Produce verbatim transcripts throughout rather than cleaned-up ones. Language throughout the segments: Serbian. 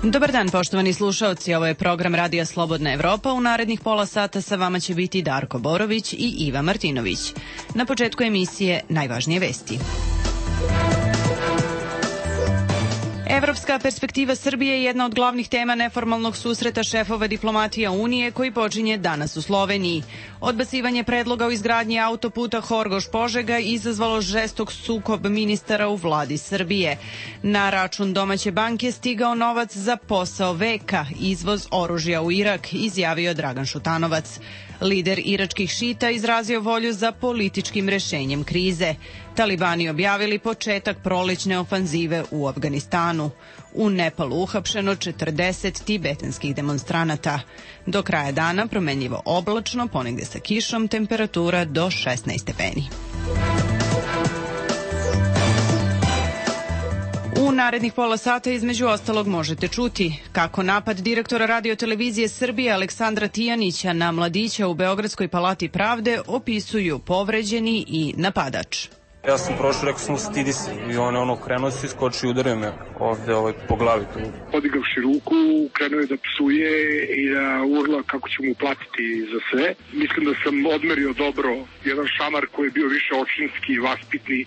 Dobar dan, poštovani slušaoci, ovo je program Radija Slobodna Evropa. U narednih pola sata sa vama će biti Darko Borović i Iva Martinović. Na početku emisije najvažnije vesti. Evropska perspektiva Srbije je jedna od glavnih tema neformalnog susreta šefova diplomatija Unije koji počinje danas u Sloveniji. Odbacivanje predloga o izgradnji autoputa Horgoš-Požega izazvalo žestok sukob ministara u vladi Srbije. Na račun domaće banke stigao novac za posao veka, izvoz oružja u Irak, izjavio Dragan Šutanovac. Lider iračkih šita izrazio volju za političkim rešenjem krize. Talibani objavili početak prolećne ofanzive u Afganistanu. U Nepalu uhapšeno četrdeset tibetanskih demonstranata. Do kraja dana promenljivo oblačno, ponegde sa kišom, temperatura do šesnaest stepeni. U narednih pola sata između ostalog možete čuti kako napad direktora radiotelevizije Srbije Aleksandra Tijanića na mladića u Beogradskoj palati pravde opisuju povređeni i napadač. Ja sam prošao, rekao sam stidi se i on je ono krenuo se, iskočio i udario me ovde ovaj, po glavi tu. Podigavši ruku, krenuo je da psuje i da urla kako će mu platiti za sve. Mislim da sam odmerio dobro jedan šamar koji je bio više očinski i vaspitni.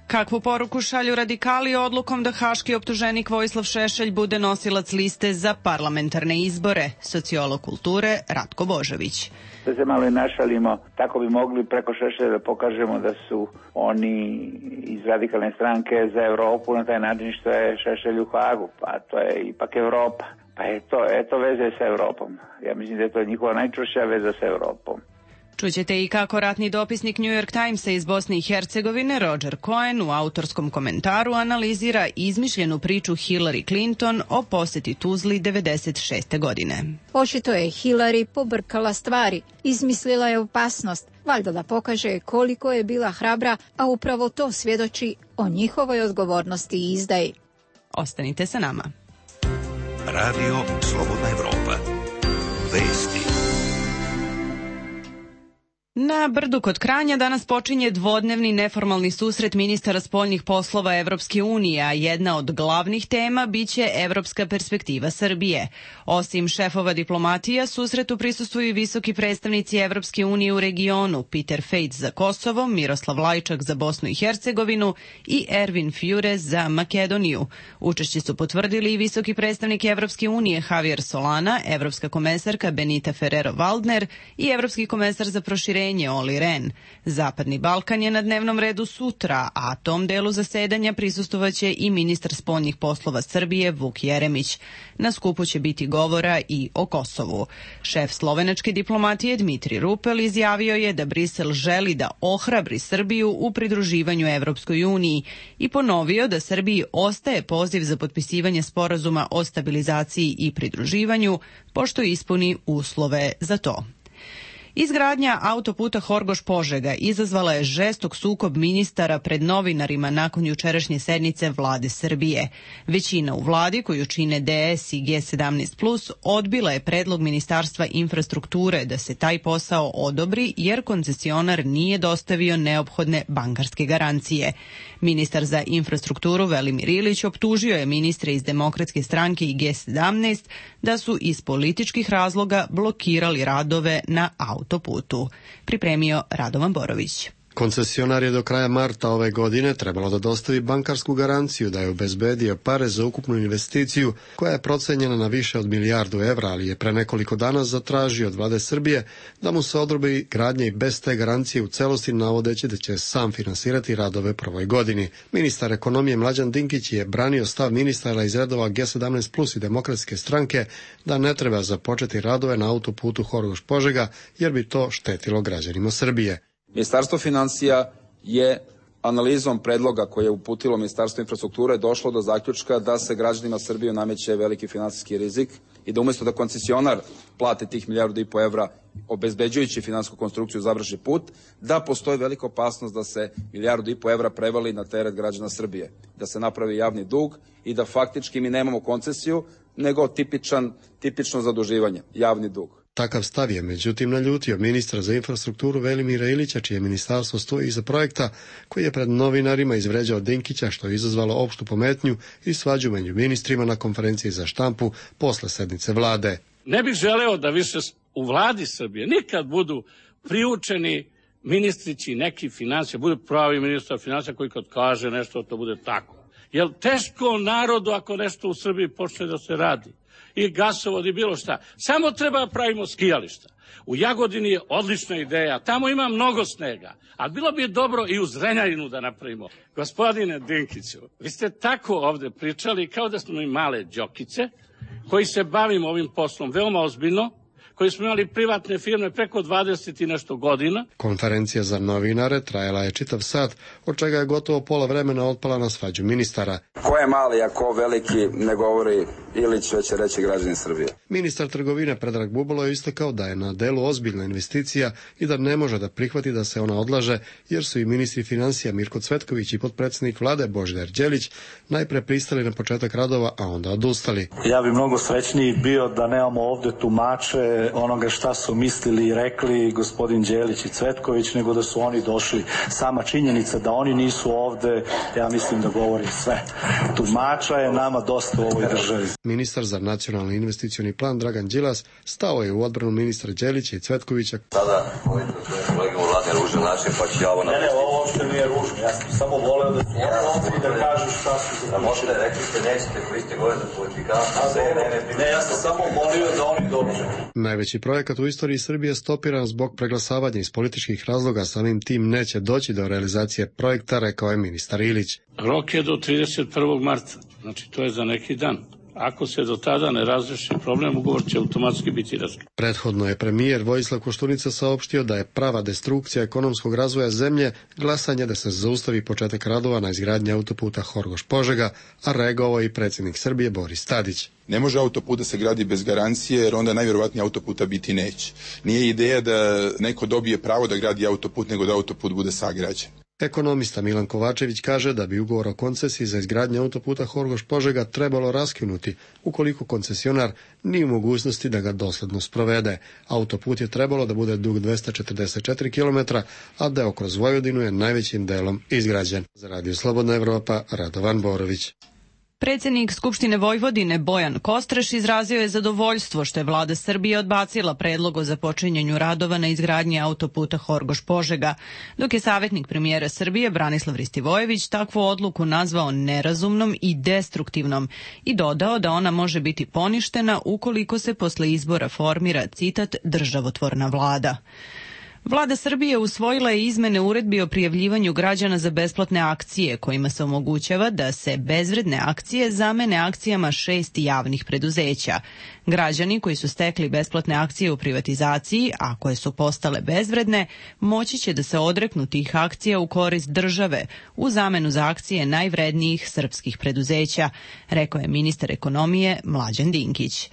Kakvu poruku šalju radikali odlukom da haški optuženik Vojislav Šešelj bude nosilac liste za parlamentarne izbore? Sociolog kulture Ratko Božović. Da se malo i našalimo, tako bi mogli preko Šešelja da pokažemo da su oni iz radikalne stranke za Evropu na taj način što je Šešelj u Hagu, pa to je ipak Evropa. Pa eto, eto veze sa Evropom. Ja mislim da je to njihova najčvršća veza sa Evropom. Čućete i kako ratni dopisnik New York Timesa iz Bosne i Hercegovine Roger Cohen u autorskom komentaru analizira izmišljenu priču Hillary Clinton o poseti Tuzli devedeset šeste godine. Očito je Hillary pobrkala stvari, izmislila je opasnost, valjda da pokaže koliko je bila hrabra, a upravo to svjedoči o njihovoj odgovornosti i izdaji. Ostanite sa nama. Radio Slobodna Evropa. Vesti. Na Brdu kod Kranja danas počinje dvodnevni neformalni susret ministara spoljnih poslova Evropske unije, a jedna od glavnih tema biće evropska perspektiva Srbije. Osim šefova diplomatija, susretu prisustvuju i visoki predstavnici Evropske unije u regionu, Peter Fejc za Kosovo, Miroslav Lajčak za Bosnu i Hercegovinu i Ervin Fjure za Makedoniju. Učešće su potvrdili i visoki predstavnik Evropske unije Javier Solana, evropska komesarka Benita Ferrero-Waldner i evropski komesar za proširenje Oli Ren. Zapadni Balkan je na dnevnom redu sutra, a tom delu zasedanja prisustovaće i ministar spoljnih poslova Srbije Vuk Jeremić. Na skupu će biti govora i o Kosovu. Šef slovenačke diplomatije Dmitri Rupel izjavio je da Brisel želi da ohrabri Srbiju u pridruživanju Evropskoj uniji i ponovio da Srbiji ostaje poziv za potpisivanje sporazuma o stabilizaciji i pridruživanju, pošto ispuni uslove za to. Izgradnja autoputa Horgoš-Požega izazvala je žestok sukob ministara pred novinarima nakon jučerašnje sednice vlade Srbije. Većina u vladi, koju čine D S i G sedamnaest plus, odbila je predlog Ministarstva infrastrukture da se taj posao odobri jer koncesionar nije dostavio neophodne bankarske garancije. Ministar za infrastrukturu Velimir Ilić optužio je ministre iz Demokratske stranke i G sedamnaest da su iz političkih razloga blokirali radove na autoputu. Pripremio Radovan Borović. Koncesionar je do kraja marta ove godine trebalo da dostavi bankarsku garanciju da je obezbedio pare za ukupnu investiciju koja je procenjena na više od milijardu evra, ali je pre nekoliko dana zatražio od vlade Srbije da mu se odobri gradnja i bez te garancije u celosti, navodeći da će sam finansirati radove prvoj godini. Ministar ekonomije Mlađan Dinkić je branio stav ministara iz redova G sedamnaest plus i Demokratske stranke da ne treba započeti radove na autoputu Horgoš-Požega jer bi to štetilo građanima Srbije. Ministarstvo finansija je analizom predloga koje je uputilo Ministarstvo infrastrukture došlo do zaključka da se građanima Srbije nameće veliki finansijski rizik i da umjesto da koncesionar plate tih milijardu i po evra obezbeđujući finansijsku konstrukciju završi put, da postoji velika opasnost da se milijardu i po evra prevali na teret građana Srbije, da se napravi javni dug i da faktički mi nemamo koncesiju, nego tipičan, tipično zaduživanje, javni dug. Takav stav je međutim naljutio ministra za infrastrukturu Velimira Ilića, čije ministarstvo stoji iza projekta, koji je pred novinarima izvređao Dinkića, što je izazvalo opštu pometnju i svađu među ministrima na konferenciji za štampu posle sednice vlade. Ne bih želeo da više u vladi Srbije nikad budu priučeni ministrići neki financija, bude pravi ministar financija koji kad kaže nešto, to bude tako. Jer teško narodu ako nešto u Srbiji počne da se radi. I gasovod i bilo šta. Samo treba pravimo skijališta. U Jagodini je odlična ideja, tamo ima mnogo snega, ali bilo bi dobro i u Zrenjaninu da napravimo. Gospodine Dinkiću, vi ste tako ovde pričali kao da smo mi male džokice koji se bavimo ovim poslom veoma ozbiljno, koji smo imali privatne firme preko dvadeset i nešto godina. Konferencija za novinare trajala je čitav sat, od čega je gotovo pola vremena otpala na svađu ministara. Ko je mali, a ko veliki, ne govori Ilić, već će reći građani Srbije. Ministar trgovine Predrag Bubalo je istakao da je na delu ozbiljna investicija i da ne može da prihvati da se ona odlaže, jer su i ministri financija Mirko Cvetković i potpredsjednik vlade Božidar Đelić najpre pristali na početak radova, a onda odustali. Ja bi mnogo srećniji bio da nemamo ovde tumače onoga šta su mislili i rekli gospodin Đelić i Cvetković, nego da su oni došli. Sama činjenica da oni nisu ovde, ja mislim da govori sve. Tumača je nama dosta u ovoj državi. Ministar za nacionalni investicioni plan Dragan Đilas stao je u odbranu ministra Đelića i Cvetkovića. Sada, ovdje svoje kolege u vladi na ružan način, pa ću ja ovo napisati. Ne, ne, ovo uopšte nije ružno. Ja sam samo voleo da su ovdje da kažu šta su za da možete, rekli ste, nećete, koji ste gore za politikanstvo. Ne, ja sam samo molio da oni dođu. Najveći projekat u istoriji Srbije stopiran zbog preglasavanja iz političkih razloga, samim tim neće doći do realizacije projekta, rekao je ministar Ilić. Rok je do trideset prvog marta, znači to je za neki dan. Ako se do tada ne razreši problem, ugovor će automatski biti raskinut. Prethodno je premijer Vojislav Koštunica saopštio da je prava destrukcija ekonomskog razvoja zemlje glasanje da se zaustavi početak radova na izgradnji autoputa Horgoš-Požega, a reagovao i predsjednik Srbije Boris Tadić. Ne može autoput da se gradi bez garancije, jer onda najvjerovatnije autoputa biti neće. Nije ideja da neko dobije pravo da gradi autoput, nego da autoput bude sagrađen. Ekonomista Milan Kovačević kaže da bi ugovor o koncesiji za izgradnju autoputa Horgoš-Požega trebalo raskinuti ukoliko koncesionar nije u mogućnosti da ga dosledno sprovede. Autoput je trebalo da bude dug dvesta četrdeset četiri kilometra, a deo kroz Vojvodinu je najvećim delom izgrađen. Za Radio Slobodna Evropa, Radovan Borović. Predsjednik Skupštine Vojvodine Bojan Kostreš izrazio je zadovoljstvo što je vlada Srbije odbacila predlog o započinjanju radova na izgradnji autoputa Horgoš-Požega, dok je savjetnik premijera Srbije Branislav Ristivojević takvu odluku nazvao nerazumnom i destruktivnom i dodao da ona može biti poništena ukoliko se posle izbora formira, citat, državotvorna vlada. Vlada Srbije usvojila je izmene uredbi o prijavljivanju građana za besplatne akcije, kojima se omogućava da se bezvredne akcije zamene akcijama šest javnih preduzeća. Građani koji su stekli besplatne akcije u privatizaciji, a koje su postale bezvredne, moći će da se odreknu tih akcija u korist države u zamenu za akcije najvrednijih srpskih preduzeća, rekao je ministar ekonomije Mlađan Dinkić.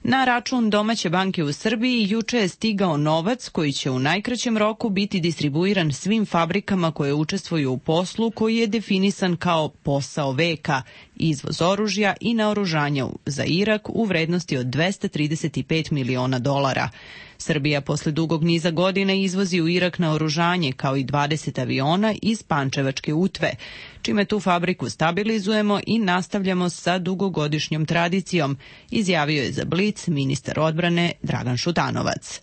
Na račun domaće banke u Srbiji juče je stigao novac koji će u najkraćem roku biti distribuiran svim fabrikama koje učestvuju u poslu koji je definisan kao posao veka, izvoz oružja i naoružanja za Irak u vrednosti od dvesta trideset pet miliona dolara. Srbija posle dugog niza godina izvozi u Irak naoružanje kao i dvadeset aviona iz Pančevačke Utve, čime tu fabriku stabilizujemo i nastavljamo sa dugogodišnjom tradicijom, izjavio je za Blic ministar odbrane Dragan Šutanovac.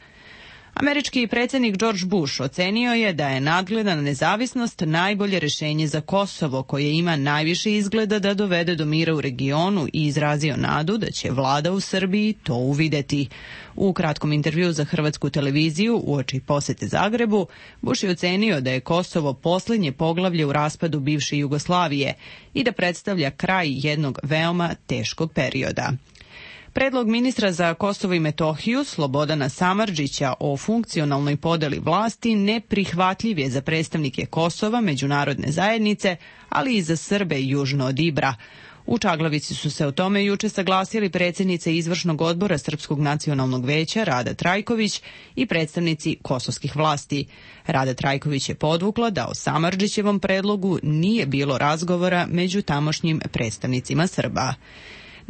Američki predsjednik George Bush ocenio je da je nadgledana nezavisnost najbolje rješenje za Kosovo, koje ima najviše izgleda da dovede do mira u regionu i izrazio nadu da će vlada u Srbiji to uvideti. U kratkom intervjuu za hrvatsku televiziju uoči posete Zagrebu, Bush je ocenio da je Kosovo posljednje poglavlje u raspadu bivše Jugoslavije i da predstavlja kraj jednog veoma teškog perioda. Predlog ministra za Kosovo i Metohiju Slobodana Samardžića o funkcionalnoj podeli vlasti neprihvatljiv je za predstavnike Kosova, međunarodne zajednice, ali i za Srbe južno od Ibra. U Čaglavici su se o tome juče saglasili predsjednica izvršnog odbora Srpskog nacionalnog veća Rada Trajković i predstavnici kosovskih vlasti. Rada Trajković je podvukla da o Samardžićevom predlogu nije bilo razgovora među tamošnjim predstavnicima Srba.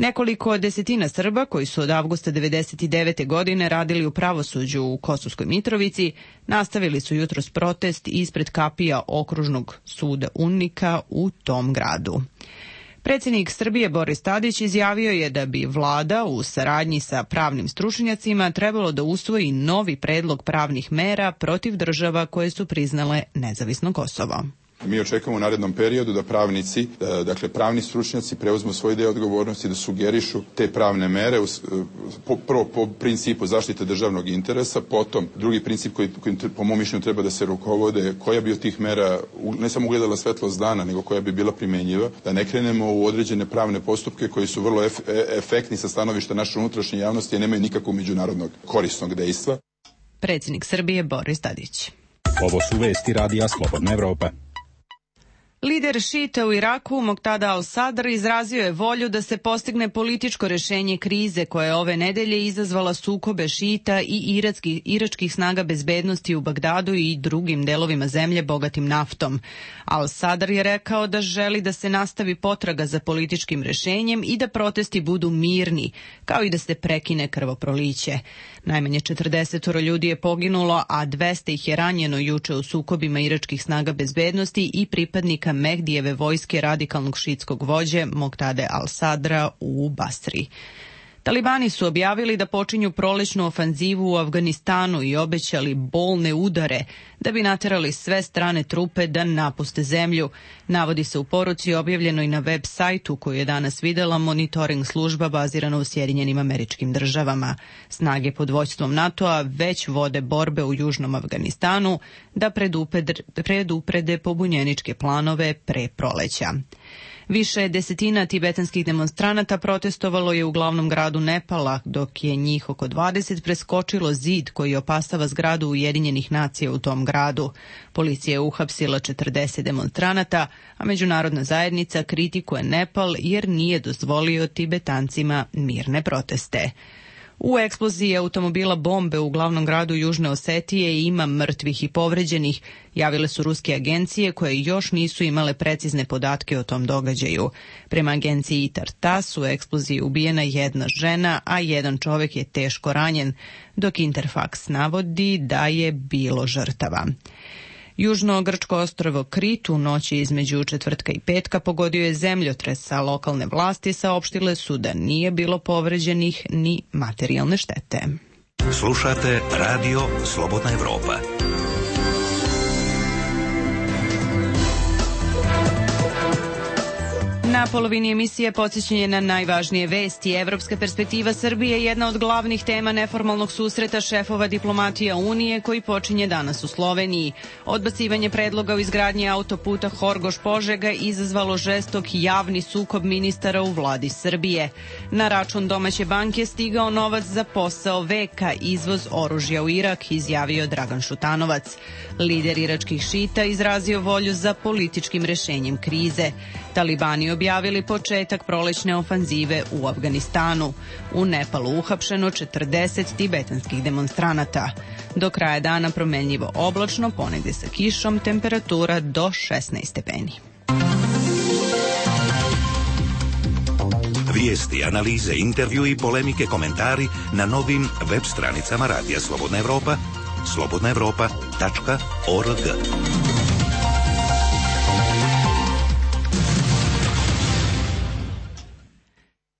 Nekoliko desetina Srba koji su od avgusta devedeset devete. godine radili u pravosuđu u Kosovskoj Mitrovici nastavili su jutros protest ispred kapija okružnog suda UNMIK-a u tom gradu. Predsjednik Srbije Boris Tadić izjavio je da bi vlada u saradnji sa pravnim stručnjacima trebalo da usvoji novi predlog pravnih mera protiv država koje su priznale nezavisno Kosovo. Mi očekujemo u narednom periodu da pravnici, dakle pravni stručnjaci preuzmu svoj deo odgovornosti da sugerišu te pravne mere prvo po principu zaštite državnog interesa, potom drugi princip koji, koji po mom mišljenju treba da se rukovode, koja bi od tih mera ne samo ugledala svetlost dana, nego koja bi bila primjenjiva, da ne krenemo u određene pravne postupke koji su vrlo ef, efektni sa stanovišta naše unutrašnje javnosti, a nemaju nikakvog međunarodnog korisnog dejstva. Predsjednik Srbije Boris Tadić. Ovo su vesti Radija Slobodna Evropa. Lider šita u Iraku, Moqtada al-Sadr, izrazio je volju da se postigne političko rešenje krize koja je ove nedelje izazvala sukobe šita i iratski, iračkih snaga bezbednosti u Bagdadu i drugim delovima zemlje bogatim naftom. Al-Sadr je rekao da želi da se nastavi potraga za političkim rešenjem i da protesti budu mirni, kao i da se prekine krvoproliće. Najmanje četrdeset ljudi je poginulo, a dvesta ih je ranjeno juče u sukobima iračkih snaga bezbednosti i pripadnika Mehdijeve vojske radikalnog šitskog vođe Moqtade al-Sadra u Basri. Talibani su objavili da počinju prolećnu ofanzivu u Afganistanu i obećali bolne udare da bi naterali sve strane trupe da napuste zemlju. Navodi se u poruci objavljenoj na web sajtu koju je danas videla monitoring služba bazirana u Sjedinjenim Američkim Državama. Snage pod vođstvom NATO-a već vode borbe u južnom Afganistanu da preduprede pobunjeničke planove pre proleća. Više desetina tibetanskih demonstranata protestovalo je u glavnom gradu Nepala, dok je njih oko dvadeset preskočilo zid koji opasava zgradu Ujedinjenih nacija u tom gradu. Policija je uhapsila četrdeset demonstranata, a međunarodna zajednica kritikuje Nepal jer nije dozvolio Tibetancima mirne proteste. U eksploziji automobila bombe u glavnom gradu Južne Osetije ima mrtvih i povređenih, javile su ruske agencije koje još nisu imale precizne podatke o tom događaju. Prema agenciji ITAR-TASS u eksploziji ubijena jedna žena, a jedan čovek je teško ranjen, dok Interfax navodi da je bilo žrtava. Južno grčko ostrvo Krit u noći između četvrtka i petka pogodio je zemljotres, a lokalne vlasti saopštile su da nije bilo povređenih ni materijalne štete. Slušate Radio Slobodna Evropa. Na polovini emisije podsjećanje na najvažnije vesti. Evropska perspektiva Srbije je jedna od glavnih tema neformalnog susreta šefova diplomatija Unije koji počinje danas u Sloveniji. Odbacivanje predloga o izgradnji autoputa Horgoš-Požega izazvalo žestok javni sukob ministara u vladi Srbije. Na račun domaće banke stigao novac za posao veka, izvoz oružja u Irak, izjavio Dragan Šutanovac. Lider iračkih šita izrazio volju za političkim rešenjem krize. Talibani objavili početak prolećne ofanzive u Afganistanu. U Nepalu uhapšeno četrdeset tibetanskih demonstranata. Do kraja dana promenljivo oblačno, ponegde sa kišom, temperatura do šesnaest stepeni. Vijesti, analize, intervju i polemike, komentari na novim web stranicama Radija Slobodna Evropa, slobodna evropa tačka org.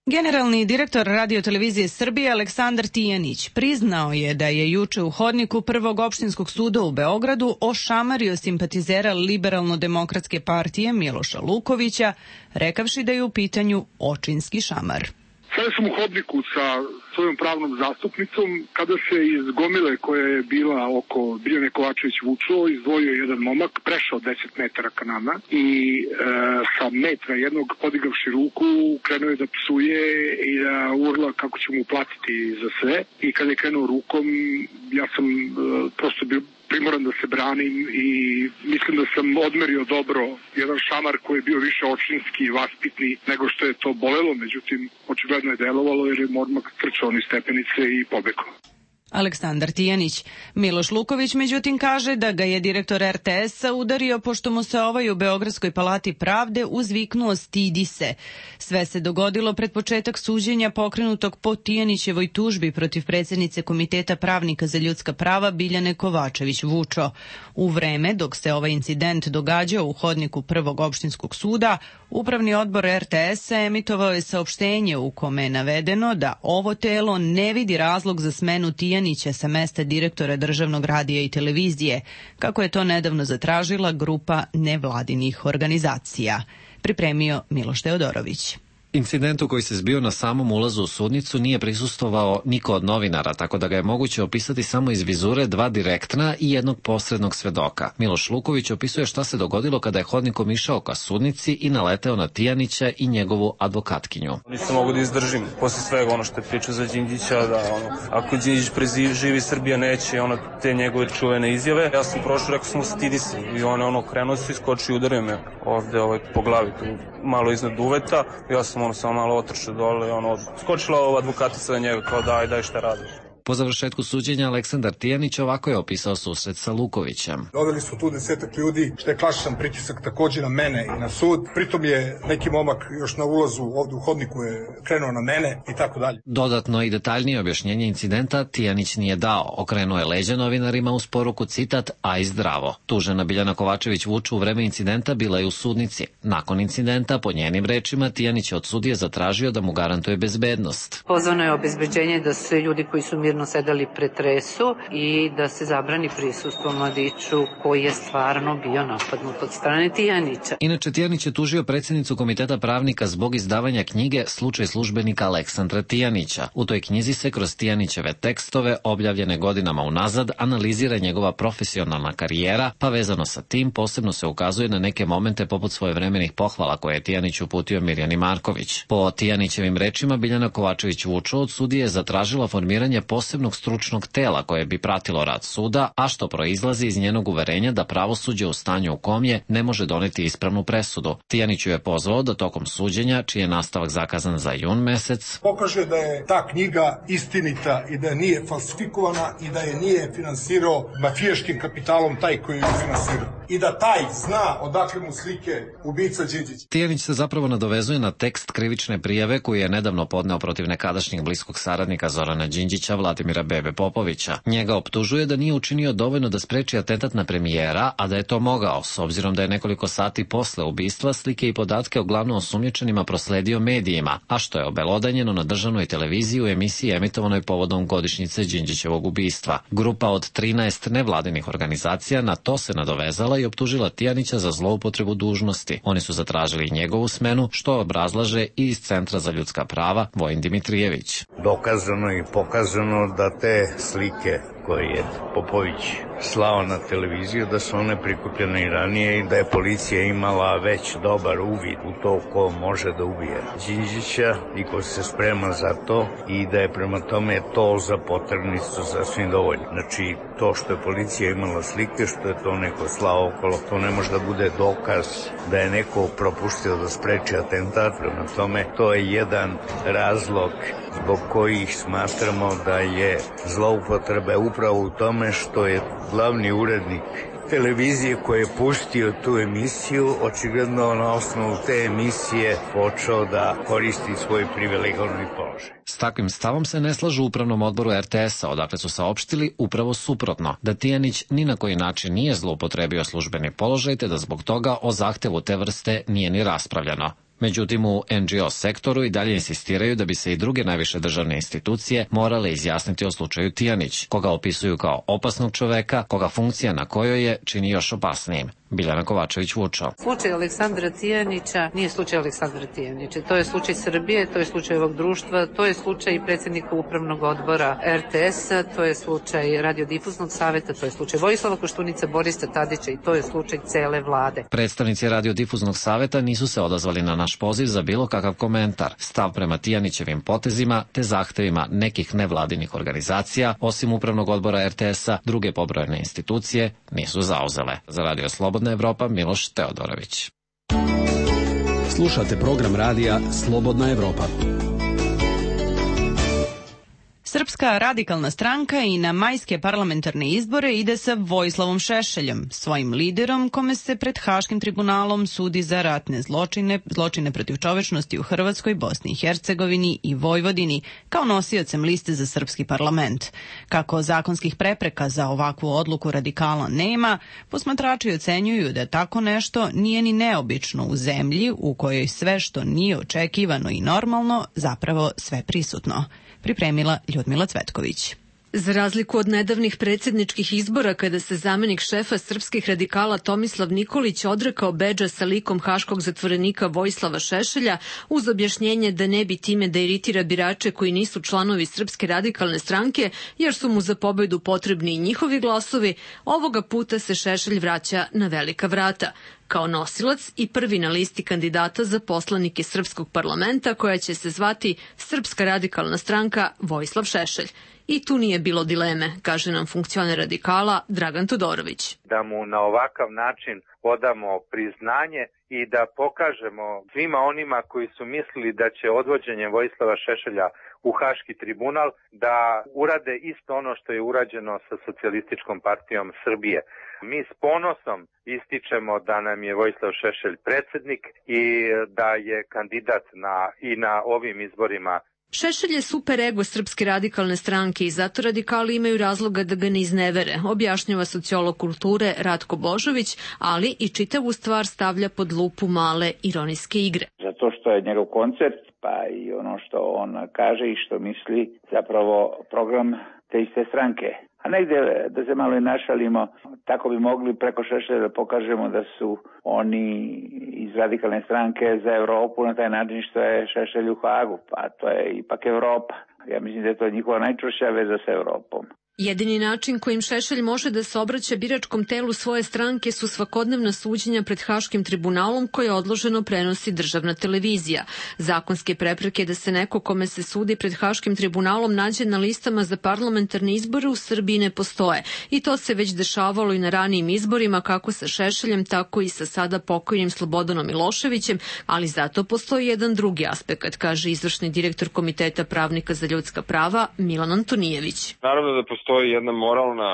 Generalni direktor Radio-televizije Srbije Aleksandar Tijanić priznao je da je juče u hodniku Prvog opštinskog suda u Beogradu ošamario simpatizera Liberalno-demokratske partije Miloša Lukovića, rekavši da je u pitanju očinski šamar. Sada sam u hodniku sa svojom pravnom zastupnicom kada se iz gomile koja je bila oko Biljane Kovačević-Vučo izdvojio jedan momak, prešao deset metara ka nama i e, sa metra jednog podigavši ruku krenuo je da psuje i da urla kako će mu platiti za sve i kada je krenuo rukom ja sam e, prosto bio primoran da se branim i mislim da sam odmerio dobro jedan šamar koji je bio više očinski i vaspitni nego što je to bolelo, međutim očigledno je delovalo jer je odmah trčao niz stepenice i pobegao. Aleksandar Tijanić. Miloš Luković međutim kaže da ga je direktor er te esa udario pošto mu se ovaj u Beogradskoj palati pravde uzviknuo stidi se. Sve se dogodilo pred početak suđenja pokrenutog po Tijanićevoj tužbi protiv predsjednice Komiteta pravnika za ljudska prava Biljane Kovačević-Vučo. U vreme dok se ovaj incident događao u hodniku Prvog opštinskog suda, Upravni odbor er te esa emitovao je saopštenje u kome je navedeno da ovo telo ne vidi razlog za smenu Tijanića sa mesta direktora Državnog radija i televizije, kako je to nedavno zatražila grupa nevladinih organizacija. Pripremio Miloš Teodorović. Incidentu koji se zbio na samom ulazu u sudnicu nije prisustvovao niko od novinara, tako da ga je moguće opisati samo iz vizure dva direktna i jednog posrednog svedoka. Miloš Luković opisuje šta se dogodilo kada je hodnikom išao ka sudnici i naleteo na Tijanića i njegovu advokatkinju. Nisam mogu da izdržim posle svega ono što je pričao za Đinđića, da ono, ako Đinđić preživi, Srbija neće, ono, te njegove čuvene izjave. Ja sam prošao, rekao sam mu stidi se i on ono, krenuo se, iskočio i udario me ovde ovaj, po glavi, tu, malo iznad uveta. Ja sam ono samo malo otrčao dole, ono, skočila ova advokatica na njega kao daj, daj šta radiš. Po završetku suđenja Aleksandar Tijanić ovako je opisao susret sa Lukovićem. Doveli su tu desetak ljudi, što je klasičan pritisak takođe na mene i na sud. Pritom je neki momak još na ulazu ovde u hodniku je krenuo na mene i tako dalje. Dodatno i detaljnije objašnjenje incidenta Tijanić nije dao. Okrenuo je leđa novinarima uz poruku citat, a i zdravo. Tužena Biljana Kovačević-Vučo u vreme incidenta bila je u sudnici. Nakon incidenta, po njenim rečima, Tijanić je od sudije zatražio da mu garantuje bezbednost. Pozvano je obezbeđenje da sve ljudi koji su mirno sedali pretresu i da se zabrani prisustvo mladiću koji je stvarno bio napadnut od strane Tijanića. Inače, Tijanić je tužio predsjednicu Komiteta pravnika zbog izdavanja knjige Slučaj službenika Aleksandra Tijanića. U toj knjizi se kroz Tijanićeve tekstove, objavljene godinama unazad, analizira njegova profesionalna karijera, pa vezano sa tim posebno se ukazuje na neke momente poput svojevremenih pohvala koje je Tijanić uputio Mirjani Marković. Po Tijanićevim rečima, Biljana Kovačević-Vučo od sudije je zatražila formiranje posebnog stručnog tela koje bi pratilo rad suda, a što proizlazi iz njenog uverenja da pravosuđe u stanju u kom je ne može doneti ispravnu presudu. Tijaniću je pozvao da tokom suđenja, čiji je nastavak zakazan za jun mesec, pokaže da je ta knjiga istinita i da nije falsifikovana i da je nije finansirao mafijaškim kapitalom taj koji je finansirao. I da taj zna odakle mu slike ubica Đinđić. Tijanić se zapravo nadovezuje na tekst krivične prijave koju je nedavno podneo protiv nekadašnjeg bliskog saradnika Zorana Đinđića, Vladimira Bebe Popovića. Njega optužuje da nije učinio dovoljno da spreči atentat na premijera, a da je to mogao, s obzirom da je nekoliko sati posle ubistva slike i podatke o glavno osumnjičenima prosledio medijima, a što je obelodanjeno na državnoj televiziji u emisiji emitovanoj povodom godišnjice Đinđićevog ubistva. Grupa od trinaest nevladinih organizacija na to se nadovezala i optužila Tijanića za zloupotrebu dužnosti. Oni su zatražili njegovu smenu, što obrazlaže i iz Centra za ljudska prava Vojin Dimitrijević. Dokazano i pokazano da te slike koje je Popović slao na televiziju, da su one prikupljene i ranije i da je policija imala već dobar uvid u to ko može da ubije Đinđića i ko se sprema za to i da je prema tome to za potrgnicu sasvim dovoljno. Znači, to što je policija imala slike, što je to neko slao okolo, to ne može da bude dokaz da je neko propuštio da spreči atentat. Prema tome, to je jedan razlog zbog kojih smatramo da je zloupotreba upravo u tome što je glavni urednik televizije koji je pustio tu emisiju, očigledno na osnovu te emisije počeo da koristi svoj privilegovani položaj. S takvim stavom se ne slažu u upravnom odboru er te esa, odakle su saopštili upravo suprotno, da Tijanić ni na koji način nije zloupotrebio službeni položaj, te da zbog toga o zahtevu te vrste nije ni raspravljano. Međutim, u en dži o sektoru i dalje insistiraju da bi se i druge najviše državne institucije morale izjasniti o slučaju Tijanić, koga opisuju kao opasnog čoveka, koga funkcija na kojoj je čini još opasnijim. Biljana Kovačević-Vučo. Slučaj Aleksandra Tijanića nije slučaj Aleksandra Tijanića. To je slučaj Srbije, to je slučaj ovog društva, to je slučaj predsjednika upravnog odbora er te esa, to je slučaj radiodifuznog saveta, to je slučaj Vojislava Koštunica, Borisa Tadića i to je slučaj cele vlade. Predstavnici radiodifuznog saveta nisu se odazvali na naš poziv za bilo kakav komentar. Stav prema Tijanićevim potezima te zahtevima nekih nevladinih organizacija, osim upravnog odbora er te esa, druge pobrojene institucije nisu zauzele. Za Radio Slobodna Evropa, Miloš Teodorović. Slušate program radija Slobodna Evropa. Srpska Srpska radikalna stranka i na majske parlamentarne izbore ide sa Vojislavom Šešeljom, svojim liderom kome se pred Haškim tribunalom sudi za ratne zločine, zločine protiv čovečnosti u Hrvatskoj, Bosni i Hercegovini i Vojvodini, kao nosiocem liste za srpski parlament. Kako zakonskih prepreka za ovakvu odluku radikala nema, posmatrači ocenjuju da tako nešto nije ni neobično u zemlji u kojoj sve što nije očekivano i normalno zapravo sve prisutno. Pripremila Ljudmila Cvetković. Za razliku od nedavnih predsjedničkih izbora kada se zamenik šefa srpskih radikala Tomislav Nikolić odrekao bedža sa likom haškog zatvorenika Vojislava Šešelja uz objašnjenje da ne bi time da iritira birače koji nisu članovi Srpske radikalne stranke jer su mu za pobedu potrebni i njihovi glasovi, ovoga puta se Šešelj vraća na velika vrata kao nosilac i prvi na listi kandidata za poslanike Srpskog parlamenta koja će se zvati Srpska radikalna stranka Vojislav Šešelj. I tu nije bilo dileme, kaže nam funkcioner radikala Dragan Todorović. Da mu na ovakav način odamo priznanje i da pokažemo svima onima koji su mislili da će odvođenjem Vojislava Šešelja u Haški tribunal da urade isto ono što je urađeno sa Socijalističkom partijom Srbije. Mi s ponosom ističemo da nam je Vojislav Šešelj predsjednik i da je kandidat na, i na ovim izborima. Šešelj je super ego Srpske radikalne stranke i zato radikali imaju razloga da ga ne iznevere, objašnjava sociolog kulture Ratko Božović, ali i čitavu stvar stavlja pod lupu male ironijske igre. Zato što je njegov koncept, pa i ono što on kaže i što misli, zapravo program te iste stranke. A negdje, da se malo i našalimo, tako bi mogli preko Šešelja da pokažemo da su oni iz radikalne stranke za Europu na taj način što je Šešelj u Hagu, pa to je ipak Evropa. Ja mislim da je to njihova najčvršća veza sa Europom. Jedini način kojim Šešelj može da se obraća biračkom telu svoje stranke su svakodnevna suđenja pred Haškim tribunalom koje odloženo prenosi državna televizija. Zakonske prepreke da se neko kome se sudi pred Haškim tribunalom nađe na listama za parlamentarne izbore u Srbiji ne postoje. I to se već dešavalo i na ranijim izborima kako sa Šešeljem, tako i sa sada pokojnim Slobodanom Miloševićem, ali zato postoji jedan drugi aspekt, kaže izvršni direktor Komiteta pravnika za ljudska prava Milan Antonijević. Naravno da postoji Postoji jedna moralna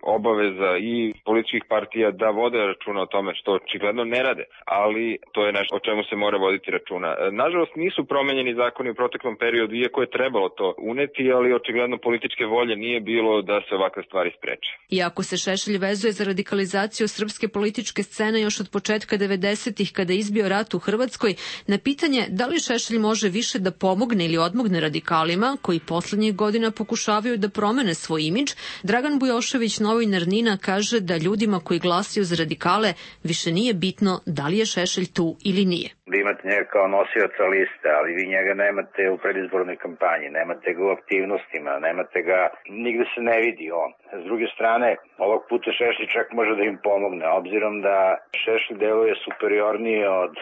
obaveza i političkih partija da vode računa o tome što očigledno ne rade, ali to je nešto o čemu se mora voditi računa. Nažalost nisu promenjeni zakoni u proteklom periodu, iako je trebalo to uneti, ali očigledno političke volje nije bilo da se ovakve stvari spreče. Iako se Šešelj vezuje za radikalizaciju srpske političke scene još od početka devedesetih kada je izbio rat u Hrvatskoj, na pitanje da li Šešelj može više da pomogne ili odmogne radikalima koji poslednjih godina pokušavaju da promene svoj imidž, Dragan Bujošević, novinar NIN-a, kaže da ljudima koji glasaju za radikale više nije bitno da li je Šešelj tu ili nije. Da imate njega kao nosioca liste, ali vi njega nemate u predizbornoj kampanji, nemate ga u aktivnostima, nemate ga, nigde se ne vidi on. S druge strane, ovog puta Šešelj čak može da im pomogne, obzirom da Šešelj deluje superiornije od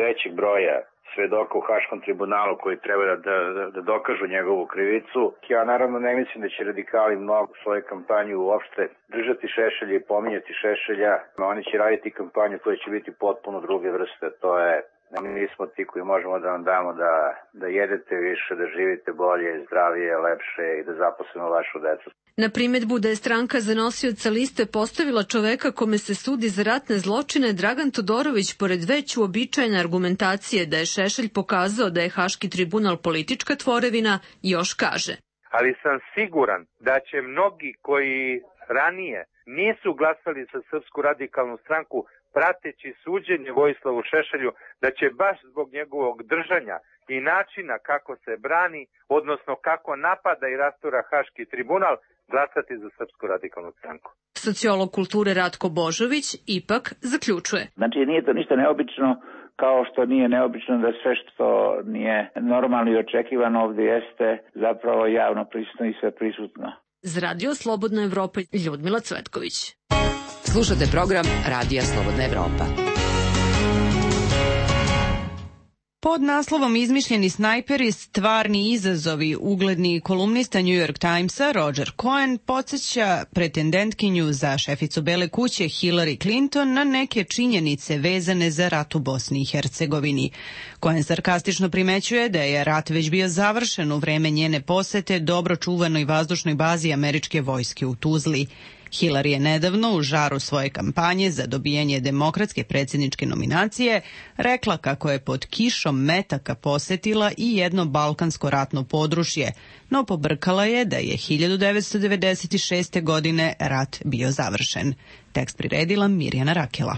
većeg broja svedoka u Haškom tribunalu koji treba da, da, da dokažu njegovu krivicu. Ja naravno ne mislim da će radikali mnogo svoje kampanju uopšte držati Šešelja i pominjati Šešelja. Oni će raditi kampanju koja će biti potpuno druge vrste. To je, mi smo ti koji možemo da vam damo da, da jedete više, da živite bolje, zdravije, lepše i da zaposlimo vašu decu. Na primedbu da je stranka za nosioca liste postavila čoveka kome se sudi za ratne zločine, Dragan Todorović, pored već uobičajene argumentacije da je Šešelj pokazao da je Haški tribunal politička tvorevina, još kaže. Ali sam siguran da će mnogi koji ranije nisu glasali za Srpsku radikalnu stranku prateći suđenje Vojislavu Šešelju, da će baš zbog njegovog držanja i načina kako se brani, odnosno kako napada i rastura Haški tribunal, glasati za Srpsku radikalnu stranku. Sociolog kulture Ratko Božović ipak zaključuje. Znači nije to ništa neobično, kao što nije neobično da sve što nije normalno i očekivano ovdje jeste zapravo javno prisutno i sve prisutno. Za Radio Slobodna Evropa, Ljudmila Cvetković. Slušate program Radija Slobodna Evropa. Pod naslovom Izmišljeni snajperi, stvarni izazovi, ugledni kolumnista New York Timesa Roger Cohen podsjeća pretendentkinju za šeficu Bele kuće Hillary Clinton na neke činjenice vezane za rat u Bosni i Hercegovini. Cohen sarkastično primećuje da je rat već bio završen u vreme njene posete dobro čuvanoj vazdušnoj bazi američke vojske u Tuzli. Hillary je nedavno u žaru svoje kampanje za dobijanje demokratske predsjedničke nominacije rekla kako je pod kišom metaka posetila i jedno balkansko ratno područje, no pobrkala je da je hiljadu devetsto devedeset šeste. godine rat bio završen. Tekst priredila Mirjana Rakela.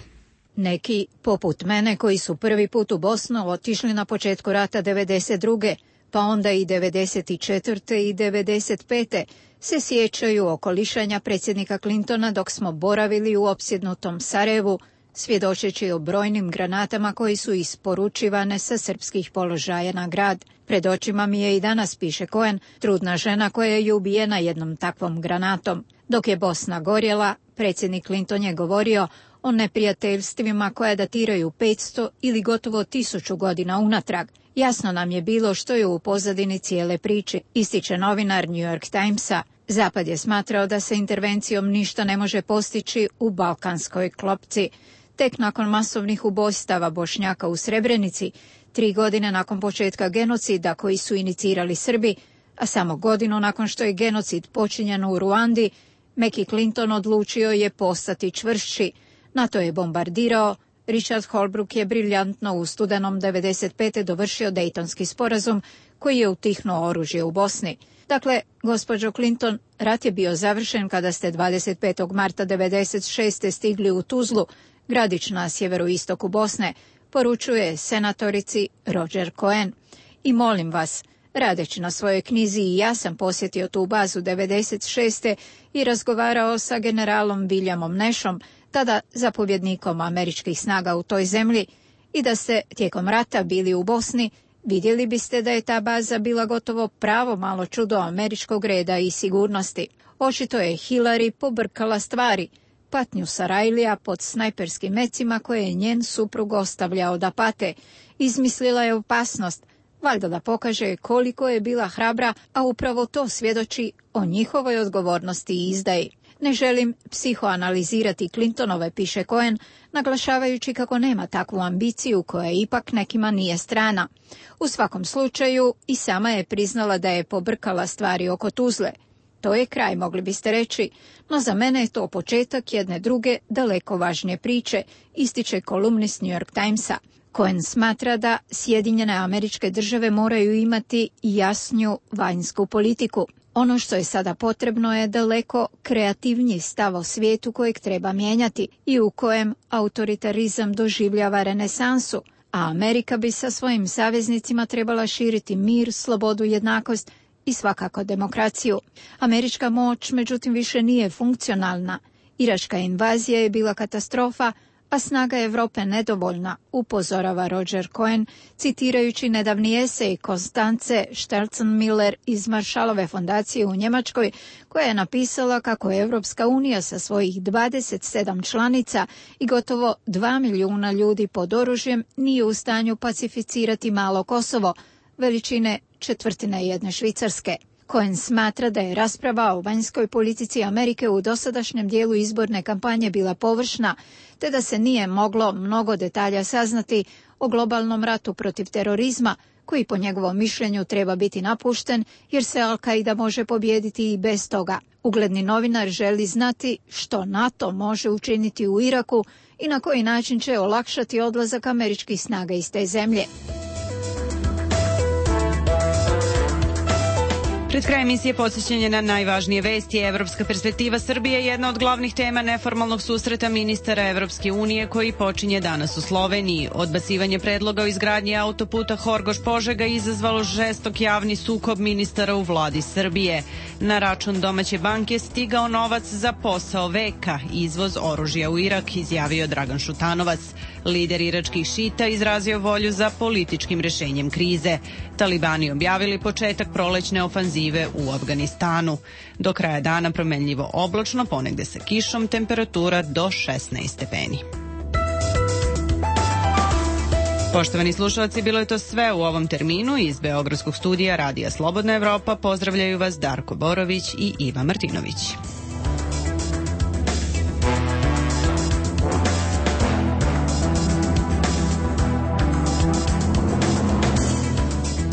Neki, poput mene, koji su prvi put u Bosnu otišli na početku rata devedeset druge pa onda i devedeset četvrte i devedeset pete se sjećaju okolišanja predsjednika Clintona dok smo boravili u opsjednutom Sarajevu, svjedočeći o brojnim granatama koji su isporučivane sa srpskih položaja na grad. Pred očima mi je i danas, piše Cohen, trudna žena koja je ubijena jednom takvom granatom. Dok je Bosna gorjela, predsjednik Clinton je govorio o neprijateljstvima koja datiraju petsto ili gotovo tisuću godina unatrag. Jasno nam je bilo što je u pozadini cijele priče, ističe novinar New York Timesa. Zapad je smatrao da se intervencijom ništa ne može postići u balkanskoj klopci. Tek nakon masovnih ubojstava Bošnjaka u Srebrenici, tri godine nakon početka genocida koji su inicirali Srbi, a samo godinu nakon što je genocid počinjen u Ruandi, Mackie Clinton odlučio je postati čvršći. NATO je bombardirao, Richard Holbrooke je briljantno u studenom devedeset pete dovršio Dejtonski sporazum koji je utihnuo oružje u Bosni. Dakle, gospođo Clinton, rat je bio završen kada ste dvadeset petog marta devedeset šeste. stigli u Tuzlu, gradić na sjeveroistoku Bosne, poručuje senatorici Roger Cohen. I molim vas, radeći na svojoj knjizi i ja sam posjetio tu bazu devedeset šeste. i razgovarao sa generalom Williamom Nashom, tada zapovjednikom američkih snaga u toj zemlji, i da ste tijekom rata bili u Bosni, vidjeli biste da je ta baza bila gotovo pravo malo čudo američkog reda i sigurnosti. Očito je Hillary pobrkala stvari, patnju Sarajlija pod snajperskim mecima koje je njen suprug ostavljao da pate. Izmislila je opasnost, valjda da pokaže koliko je bila hrabra, a upravo to svjedoči o njihovoj odgovornosti i izdaji. Ne želim psihoanalizirati Clintonove, piše Cohen, naglašavajući kako nema takvu ambiciju koja ipak nekima nije strana. U svakom slučaju i sama je priznala da je pobrkala stvari oko Tuzle. To je kraj, mogli biste reći, no za mene je to početak jedne druge, daleko važnije priče, ističe kolumnist New York Timesa. Cohen smatra da Sjedinjene Američke Države moraju imati jasniju vanjsku politiku. Ono što je sada potrebno je daleko kreativniji stav o svijetu kojeg treba mijenjati i u kojem autoritarizam doživljava renesansu, a Amerika bi sa svojim saveznicima trebala širiti mir, slobodu, jednakost i svakako demokraciju. Američka moć, međutim, više nije funkcionalna. Iračka invazija je bila katastrofa, a snaga Europe nedovoljna, upozorava Roger Cohen, citirajući nedavni esej Konstance Stelzenmiller iz Maršalove fondacije u Njemačkoj, koja je napisala kako je Europska unija sa svojih dvadeset sedam članica i gotovo dva milijuna ljudi pod oružjem nije u stanju pacificirati malo Kosovo, veličine četvrtine jedne Švicarske. Cohen smatra da je rasprava o vanjskoj politici Amerike u dosadašnjem dijelu izborne kampanje bila površna, te da se nije moglo mnogo detalja saznati o globalnom ratu protiv terorizma, koji po njegovom mišljenju treba biti napušten, jer se Al-Qaida može pobijediti i bez toga. Ugledni novinar želi znati što NATO može učiniti u Iraku i na koji način će olakšati odlazak američkih snaga iz te zemlje. Pred krajem emisije podsjećanje na najvažnije vesti. Evropska perspektiva Srbije je jedna od glavnih tema neformalnog susreta ministara Evropske unije koji počinje danas u Sloveniji. Odbacivanje predloga o izgradnji autoputa Horgoš-Požega izazvalo žestok javni sukob ministara u vladi Srbije. Na račun domaće banke stigao novac za posao veka, izvoz oružja u Irak, izjavio Dragan Šutanovac. Lider iračkih šita izrazio volju za političkim rešenjem krize. Talibani objavili početak prolećne ofanzive u Afganistanu. Do kraja dana promenljivo oblačno, ponegde sa kišom, temperatura do šesnaest stepeni. Poštovani slušalci, bilo je to sve u ovom terminu. Iz Beogradskog studija Radija Slobodna Evropa pozdravljaju vas Darko Borović i Iva Martinović.